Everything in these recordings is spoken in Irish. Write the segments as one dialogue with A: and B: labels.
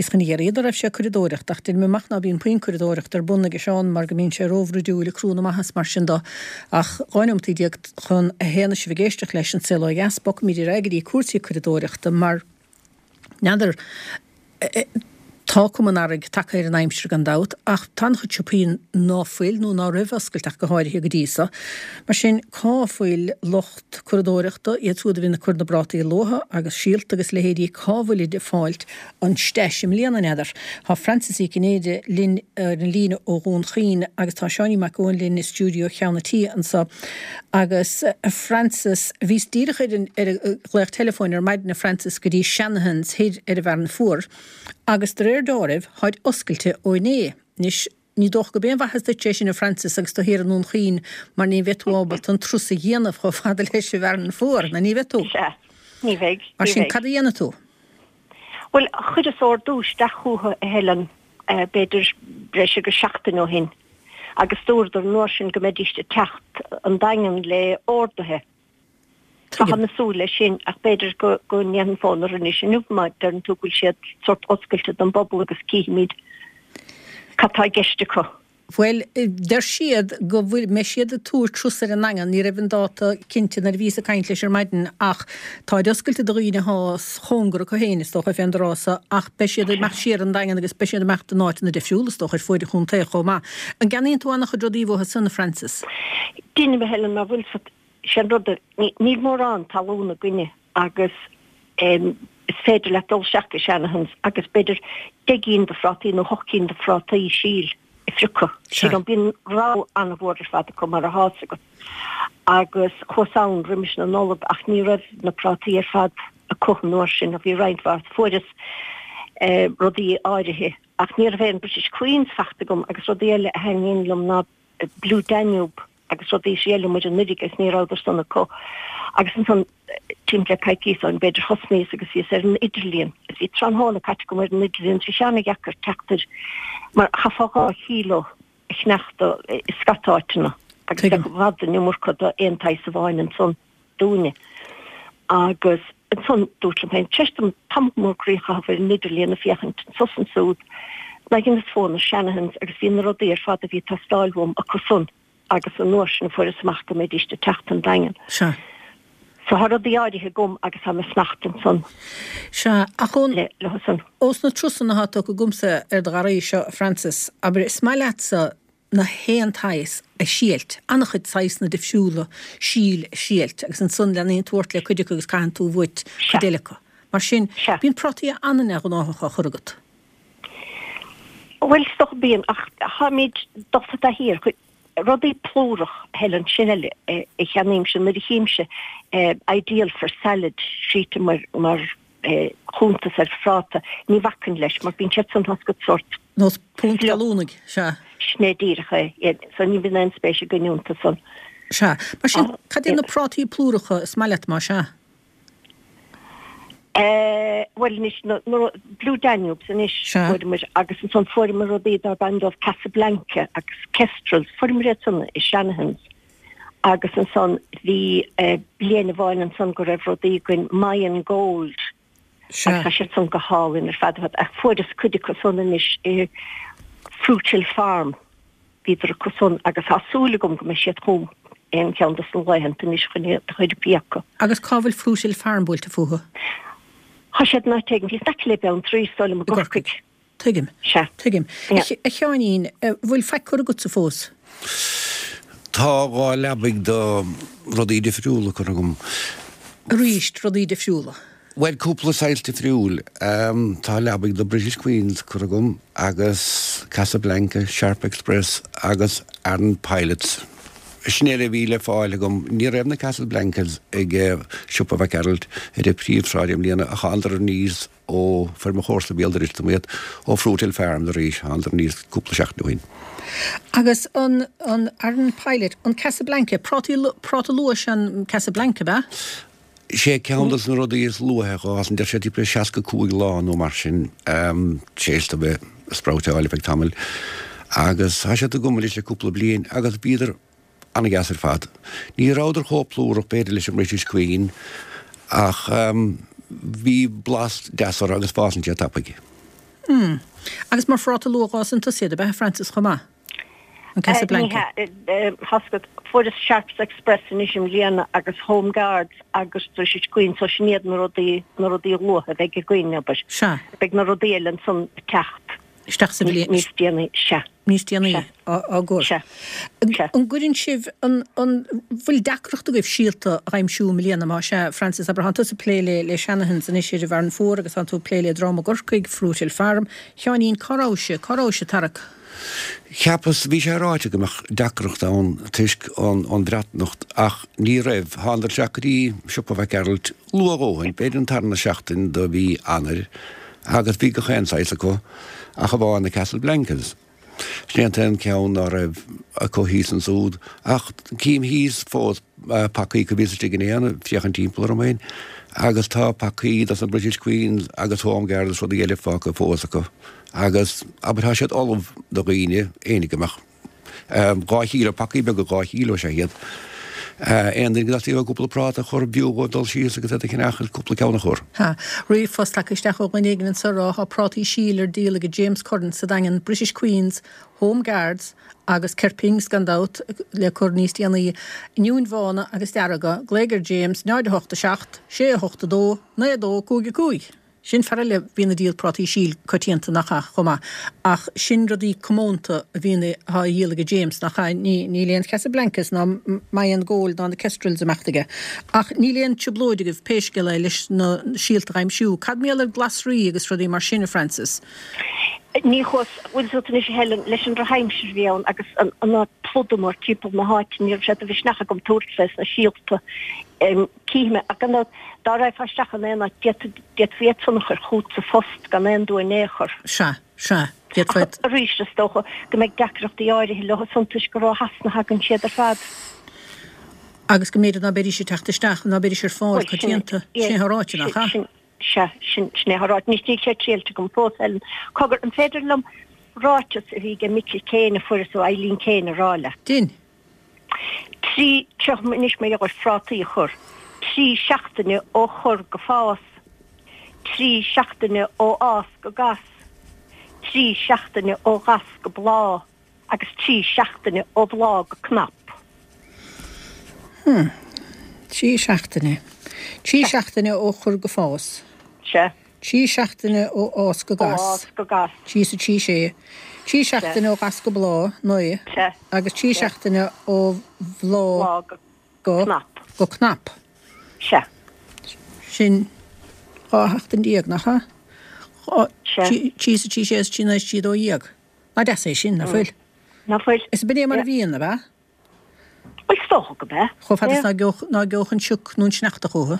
A: Bhíos chun a iarraidh an raibh sé ag curadóireacht ach deir mé amach ná bíonn puinn curadóireachta ar bun aige Seán mar go mbíonn sé róbhroidiúil ag crú na maitheas mar sin do. Ach 12 neomataí chun a haon is sibh ag éisteacht leis an Saol Ó Dheas, bogfaimid ar aghaidh go dtí cúrsaí curadóireachta mar n'fheadar tá cuma an earraigh tagtha ar an aimsir gan dabht ach tá an-chuid siopaí ná fuil nó ná raibh oscailte ach go háirithe go dtí so. Mar sin cá bhfuil lucht curadóireachta, iad siúd a bhíonn ag cur na bprátaí luatha agus síolta agus leithéidí, cá bhfuilid ag fáilt an stash i mbliana, n'fheadar? Tá Frances Uí Chinnéide linn ar an líne ó Dhún Chaoin agus tá Seáinín Mac Eoin linn i stiúideo Cheann an Tí anso. Agus a Frances, bhíos díreach ar an ar an ghlaoch teileafóin ar maidin a Frances go dtí Shanahan's thoir ar an bhFearann Fuar agus de réir deáraimh táid oscailte ó inné. Anois. Ní dócha gurb aon mhaitheas duit é sin, a Frances, agus tú thiar i nDún Chaoin, mar ní bheidh tú ábalta an turas a dhéanamh chomh fada leis an bhFearann Fuar, nó ní bheidh tú?
B: Sea, ní bheidh,
A: Mar
B: ní
A: sin,
B: bheidh.
A: cad a dhéanfaidh tú?
B: Bhuel, chuireas ordú isteach chucu, a Helen, b'fhéidir breis agus seachtain ó shin, agus dúradar an uair sin go mbeidíst ag teacht an Daingean le orduithe.
A: Tuigim.
B: Táim ag súil leis sin ach b'fhéidir go go ndéanfainn fón orthu anois inniu má deireann tú go bhfuil siad sórt oscailte don bpobal agus cífimid cad tá i gceist acu.
A: Bhuel, deir siad go bhfuil, mbeidh siad ag tabhairt turas ar an nDaingean, ní raibh an dáta cinnte nuair a bhíos ag caint leis ar maidin ach táid oscailte do dhaoine athá chóngar acu féin is dócha fén dtráth so ach beidh siad ag imeacht siar an Daingean agus beidh siad ag imeacht in áiteanna difriúla is dócha ar fuaid an chontae chomh maith. An gceannaíonn tú an-chuid rudaí uathu san, a Frances?
B: Deinim, a Helen, mar bhfuil 's agat, Sé an rud, níl mórán talún againne agus is féidir leat dul isteach go Shanahan's agus b'fhéidir 10 gcinn de phrátaí nó hocht gcinn de phrátaí síl a phiocadh. Sílim, bíonn rogha an-mhór ar fad acu mar atá 's agat. Agus chuas ann roimis na Nollag ach ní raibh na prátaí ar fad acu an uair sin, bhí roinnt mhaith, fuaireas rudaí áirithe ach ní raibh aon British Queens fachta agam agus rudaí eile a thaitníonn liom ná Blue Danube agus rudaí a shíoladh muid anuraidh agus ní rabhadar san acu. Agus ansan timpeall le coicíos ó shin b'fhéidir thosnaíos agus bhíos ar an idirlíon agus bhí tráthnóna caite agam ar an idirlíon bhí sé ana-dheacair teacht ar mar chaithfeá 2 chíló a chneachtadh i scata áiteanna agus bheadh i bhfad an iomarca d'aon tsaghas amháin ansan. dúinne. Agus ansan dúirt liom féin, tar éis dom tamall mór groí a chaitheamh ar an idirlíon ag féachaint anso 's ansúd, ná dheineas fón ar Shanahan's agus bhí na rudaí ar fad a bhí ag teastáil uaim acu san agus an uair sin a fuaireas amach go mbeidíst ag teacht an Daingean.
A: Sea.
B: So tá rudaí áirithe agam agus tá mé ag fanacht ansan
A: Sea, ach ón,
B: le, leo san.
A: ós na turasanna atá tugtha agamsa ar do gharraí seo, a Frances, abair, is maith leatsa na haon tsaghas a shílt, an-chuid saghasanna difriúla síl a shílt agus ansan leanaíonn tú ort le cuid acu agus caitheann tú uait cuid eile acu. Mar sin, bíonn prátaí an-neamhghnáthach á chur agat.
B: Bhuel, is dócha bíonn, ach táimid dulta i dtaithí ar chuid rudaí plúrach, Helen, sin eile a cheannaímse nuair a chímse ideal for salad scríte mar, mar chuntas ar phráta, ní bhacainn leis mar bíonn siad san tá 's agat sórt.
A: Nós punt gallúnaigh, sea.
B: Sin é díreach é, so ní bhíonn aon spéis againn iontu san.
A: Sea. Mar sin, cad iad na prátaí plúracha is maith leat, más ea?
B: Bhuel anois, na Blue Danubes anois, fuaireamar, agus ansan fuaireamar rudaí darb ainm dóibh Casablanca agus Kestrels, fuaireamar iad san i Shanahan's. Agus ansan bhí bliain amháin ansan go raibh rudaí againn Mayan Gold agus tá siad san go hálainn ar fad ar fad ach fuaireas cuid acu san anois i Fruithill Farm bhíodar acu san agus tá súil agam go mbeidh siad chugam aon cheann dos na laethanta anois chun iad a chur ag piocadh.
A: Agus cá bhfuil Fruithill Farm buailte fúthu?
B: Tá siad in áit éigin thíos in aice le Beanntraí is dóigh liom i
A: gCorcaigh. Tuigim.
B: Sea.
A: Tuigim. A Sheáinín, bhfuil faic curtha agatsa fós?
C: Tá 2 leabaidh de rudaí difriúla curtha agam.
A: Arís, rudaí difriúla.
C: Bhuel, cúpla saghas difriúil. Tá leabaidh de British Queens curtha agam agus Casablanca, Sharp Express agus Aran Pilots. Sin é a bhí le fáil agam. Ní raibh na Casablancas ag siopa Mhic Gearailt ar an bPríomhshráid i mbliana ach thánadar aníos Ó fuair mo chomharsa béal dorais dom iad ó Fruithill Farms arís, thánadar aníos cúpla seachtain ó shin.
A: Agus an an Aran Pilot, an Casablanca, prátaí, práta luath is ea an Casablanca, ab ea?
C: Sé ceann dos na rudaí is luaithe a dh'fhásann, deir siad timpeall 65 lá nó mar sin, tar éis dó bheith ag sproutáil ar feadh tamaill. Agus tá siad agam anois le cúpla bliain agus bhíodar An-dheas ar fad. Ní rabhadar chomh plúrach b'fhéidir leis an mBritish Queen ach bhí blas deas orthu agus fásann siad tapaidh.
A: Hmm. Agus mar phráta luath dh'fhásann tusa iad, ab ea, a Frances, chomh maith? An Casablanca?
B: Ní hea. Tá 's agat, fuaireas Sharps Express anois i mbliana agus Home Guards agus British Queen so sin iad na rudaí, na rudaí luatha a bheidh againn, abair.
A: Sea.
B: Beidh na rudaí eile ansan ag teacht.
A: Isteach sa bhliain.
B: Níos déanaí, sea.
A: Níos déanaí á gcur.
B: Sea. Sea.
A: An gcuireann sibh, an, an bhfuil deacracht agaibh síolta a aimsiú i mbliana? Má sea, Frances, abair, tánn tusa ag plé le, le Shanahan's anois ar an bhFearann Fuar agus tánn tú ag plé le Drom i gCorcaigh, Fruithill Farm. Sheáinín, cá raibh sé, cá raibh sé tarrac?
C: Cheapas, bhí sé ráite go mbeadh deacracht ann toisc an Bhreatimeacht ach ní raibh. Thánadar isteach go dtí siopa Mhac Gearailt luath a dhóthain, b'fhéidir an tarna seachtain de mhí Eanáir agus bhí gach aon saghas acu ach amháin na Casablancas. Sin é an t-aon cheann ná raibh acu thíos ansúd ach cím thíos fós pacaí acu bhíos istigh inné ag féachaint timpeall orm féin agus tá pacaí dos na British Queens agus Home Guards is rudaí eile fágtha fós acu. Agus, abair, tá siad ullamh do dhaoine, éinne go mbeadh 2 chíleo, pacaí beaga 2 chíleo is ea iad. Aon duine go dteastaíonn uaidh cúpla práta a chur, b'fhiú dhóibh dul síos agus iad a cheannach agus cúpla ceann a chur.
A: Tá ríomhphost tagtha isteach ó dhuine éigin anseo ag rá tá prátaí síl ar díol ag James Curran sa Daingean, British Queens, Home Guards agus Kerpings gan dabht le cur níos déanaí, oinniúin bhána agus dearga, glaoigh ar James 0 8 7 6 8 2 9 2 5 5. Sin fear eile a bhíonn ag díol prátaí síl coitianta nach ea, chomh maith. Ach sin rudaí comónta a bhíonn atá á dhíol aige James, nach ea? Ní, níl aon Chasablancas ná Mayan Gold ná na Kestrels ag imeacht aige. Ach níl aon trioblóid agaibh, pé scéal é, leis na síolta a aimsiú. Cad mar gheall ar glasraí agus rudaí mar sin, a Frances?
B: Ní chuas, bhfuil 's agat anois a Helen, leis an drochaimsir a bhí ann agus an, an plódú mór timpeall na háite, ní raibh sé de mhisneach agam tabhairt fés na síolta. Cífidh mé, ach gan dabht, dá raghfá isteach in aon áit, d'fhéadfaí iad san a chur chugat sa phost gan aon dua in aon chor.
A: Sea, sea, d'fhéadfaí.
B: Ach arís, is dócha go mbeidh deacrachtaí áirithe leo san toisc gur ó Shasana a thagann siad ar fad.
A: Agus go mb'fhéidir ná beidís ag teacht isteach, ná beidís ar fáil coitianta. Sin é atá ráite, nach ea?
B: Sea, sin é atá ráite. Anois, níl sé triailte agam fós, Helen. Cogar, an féidir liom ráiteas a bhí ag Michael Kane a fuaireas ó Eileen Kane a rá leat?
A: Dein.
B: 3, Seo anois mar gheall ar phrátaí a chur. 3 seachtaine ó chur go fás. 3 seachtaine ó fhás go gas. 3 seachtaine ó ghas go bláth agus 3 seachtaine ó bhláth go cnap.
A: Hmm. 3 seachtaine. 3 seachtaine ó chur go fás.
B: Sea.
A: 3 seachtaine ó fhás go gas.
B: Ó fhás go gas.
A: 3 is 3 sé. 3 seachtaine ó ghas go bláth, 9.
B: Sea.
A: Agus 3 seachtaine ó bhláth
B: go. Cnap.
A: Go cnap.
B: Sea.
A: Sin 12 sheachtain, nach ea?
B: Sea.
A: 3 is 3 sé is 3 9 is 3 12. Nach deas é sin, nach fuil?
B: Nach fuil.
A: Is b'in é mar a bhíonn, ab ea?
B: Bhuel, is dócha go b'ea.
A: Chomh fada is ná geobhadh an sioc nó an sneachta chúthu.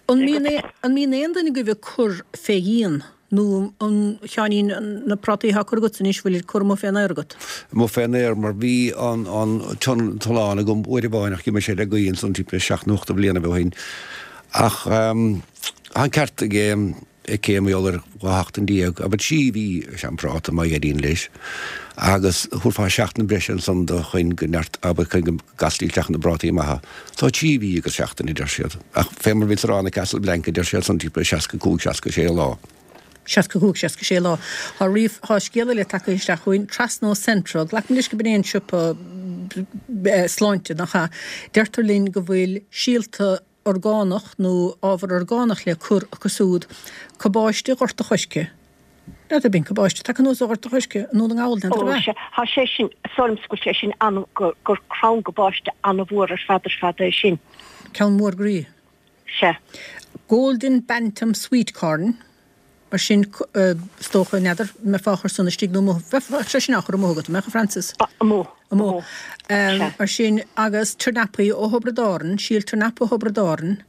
A: An mbíonn an mbíonn aon duine agaibh ag cur fé dhíon nó an, a Sheáinín, na prátaí atá á cur agatsa anois, bhfuil curtha amuigh fén aer agat?
C: Amuigh fén aer mar bhí an an tulán agam uair amháin ach d'imigh sé le gaoth ansan timpeall seacht nó ocht de bhlianaibh ó shin. Ach tá an ceart aige. aici mar gheall ar 12 sheachtain, abair trí mhí is ea an práta má éiríonn leis, agus thabharfá seachtain breise ansan do chun go neart, abair chun go gcastaí isteach na bprátaí maithe. So trí mhí agus seachtain a deir siad. Ach fé mar bhíos a rá na Casablanca deir siad san timpeall 65, 66 lá.
A: 65, 66 lá. Tá ríomh, tá scéal eile tagtha isteach chugainn, trasna ó Centra, glacaim leis go b'in é an siopa sláinte, nach ea? Deirtear linn go bhfuil síolta orgánach nó ábhar orgánach le cur acu siúd, cabáiste Ghort a' Choirce. N'fheadar bíonn cabáiste tagtha anuas ó Ghort a' Choirce i nDún na nGall, n'fheadar
B: ab
A: ea?
B: Ó, sea, tá sé sin, is dóigh liomsa go bhfuil sé sin an, gur, gur crann cabáiste an-mhór ar fad ar fad é sin.
A: Ceann mór groí.
B: Sea.
A: Golden Bantam Sweet Corn. Mar sin, is dócha, n'fheadar, mbeifeá á chur san istigh nó amuigh, bheadh sé sin á chur amuigh agat, an mbeadh, a Frances?
B: Amuigh.
A: Amuigh. Mar sin, agus tornapaí ó Thiobraid Árann, síol tornapa ó Thiobraid Árann,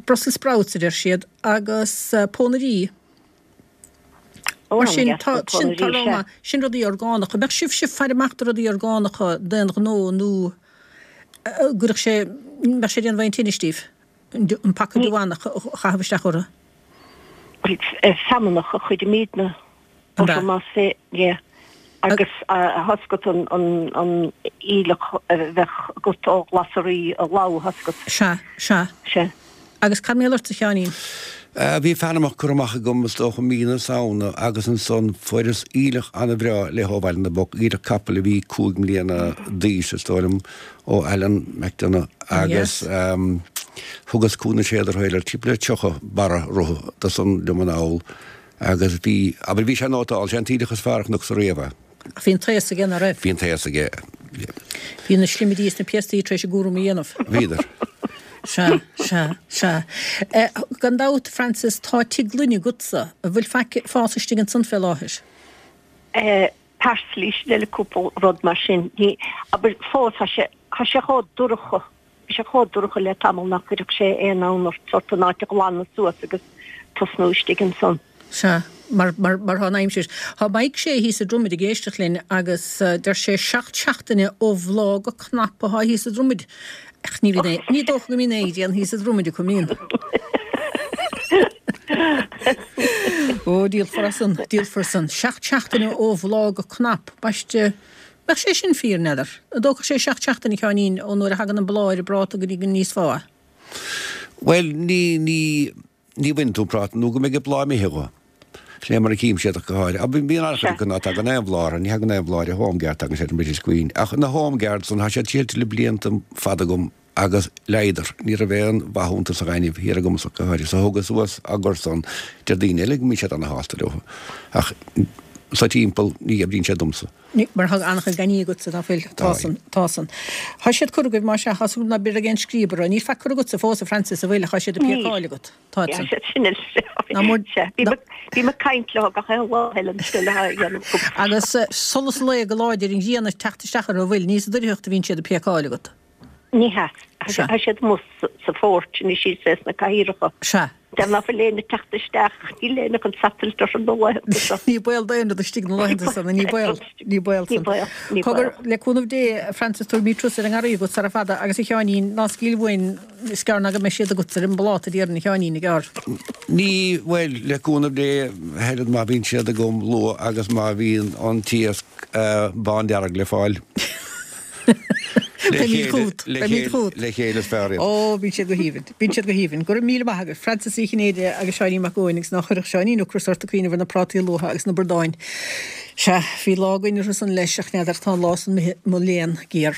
A: Brussels sprouts a deir siad, agus pónairí. Mar sin, tá, sin, tá rogha maith, sin rudaí orgánacha. Mbeadh sibhse ag faire amach do rudaí orgánacha d'aon ghnó nó gcuirfeadh sé, mbeadh sé ag déanamh aon tinnis daoibh? an paca deamhanach a chaitheamh isteach orthu.
B: Feamnach a chuirimidne orthu más ea agus tá 's agat an an aoileach a bheadh agat ó ghlasraí a lobhadh tá 's agat.
A: Sea, sea.
B: Sea.
A: Agus cad mar gheall ortsa, a Sheáinín?
C: Bhí Panamach curtha amach agam is dócha mí na Samhna agus ansan fuaireas aoileach ana-bhreá léi ó Bhaile na bPoc, aoileach capaill a bhí 5 mbliana d'aois is dóigh liom, ó Alan McDonagh agus thugas Cú na Séadar timpeall le 30 barra rotha de san liom anall agus bhí, abair bhí sé nótálta, sé an t-aoileach is fearr a chonacsa riamh é.
A: Ach bhí an taos aige, ná raibh?
C: Bhí an taos aige.
A: Bhí na slimidí is na piastaí tar éis a gcúram a dhéanamh.
C: Bhíodar.
A: Sea, sea, sea. Gan dabht, Frances, tá tigh gloine agatsa. An bhfuil faic ag fás istigh ansan fé láthair?
B: Parsley, sin eile cúpla rud mar sin. Ní, abair, fós, tá sé, tá sé chomh dorcha, bhí sé chomh dorcha le tamall nach gcuirfeadh sé aon fhonn ort sort an áit a ghlanadh suas agus tosnú istigh ansan.
A: Sea, mar, mar, mar thá an aimsir. Thá Mike Shea thíos i Dromaid ag éisteacht linn agus deir sé seacht seachtaine ó bhláth go cnap athá thíos i Dromaid. Ach ní bhíonn aon, ní dócha go mbíonn aon ghrian thíos i Dromaid acu, mbíonn? Ó, díolfar as san, díolfar san. Seacht seachtaine ó bhláth go cnap, baiste, mbeadh sé sin fíor, n'fheadar? An dtógfadh sé seacht seachtaine, a Sheáinín, ó nuair a thagann an bláth ar an bpráta go dtí go n-íosfá é?
C: Bhuel, ní, ní, Ní bhaineann tú an práta nó go mbeidh an bláth imithe dho. Sin é mar a tchím siad ach go háirithe. Ach bíonn an-chuid acu ná tagann aon bhláth orthu, ní thagann aon bhláth ar an Home Guard, tagann sé ar an British Queen. Ach na Home Guards san, tá siad sílte le blianta fada agam agus leáigheadar. Ní raibh aon mhaith iontu sa ghaineamh thiar agamsa ach go háirithe. So thógas suas á gcur san. Deir daoine eile go mbíonn siad ana-shásta leo. Ach sa timpeall ní oibríonn sé domsa.
A: Mar tá an-chuid gainní agatsa, ná fuil? Tá san, tá san. Tá siad curtha agaibh, más ea, tá súil agam ná beidh aon scríob orthu. Níl faic curtha agatsa fós, a Frances, an bhfuil? Tá siad ag
B: piocáil
A: agat. Tá
B: san. Sin Ná mór. Bím ag caint leo gach aon lá eile an scoil a dhéanamh.
A: Agus solas lae go láidir, an ghrian ag teacht isteach orthu, an bhfuil? Ní sa doircheacht a bhíonn siad ag piocáil agat.
B: Ní hea. Tá siad amuigh sa phoirch anois thíos sna cathaoireacha.
A: Sea.
B: Deir ná fuil éinne ag teacht isteach, níl éinne chun satailt orthu na laethanta
A: seo. Ní baol d'aon rud istigh na laethanta san, ní baol, ní baol san. Ní baol, ní baol. Cogar, le cúnamh Dé, a Frances, tabharfaimid turas ar an ngarraí agat sara fada agus a Sheáinín, ná scaoil uainn, is gearr ná go mbeidh siad agat ar an bpláta déarfainn, a Sheáinín, i gcearr.
C: Ní, bhuel, le cúnamh Dé, a Helen, má bhíonn siad agam luath agus má bhíonn an t-iasc bándearg le fáil.
A: Beimid chugat. Beimid
C: chugat. Le chéile is fearr
A: iad. Ó, bíonn siad go haoibhinn. Bíonn siad go haoibhinn. Go raibh míle maith agat, Frances Uí Chinnéide agus Seáinín Mac Eoin agus ná cuirfeadh Seáinín ocras ort ag cuimhneamh ar na prátaí luatha agus na bradáin. Sea, bhí lá againn orthu san leis ach n'fheadar, tá an lá san imithe, mo léan géar.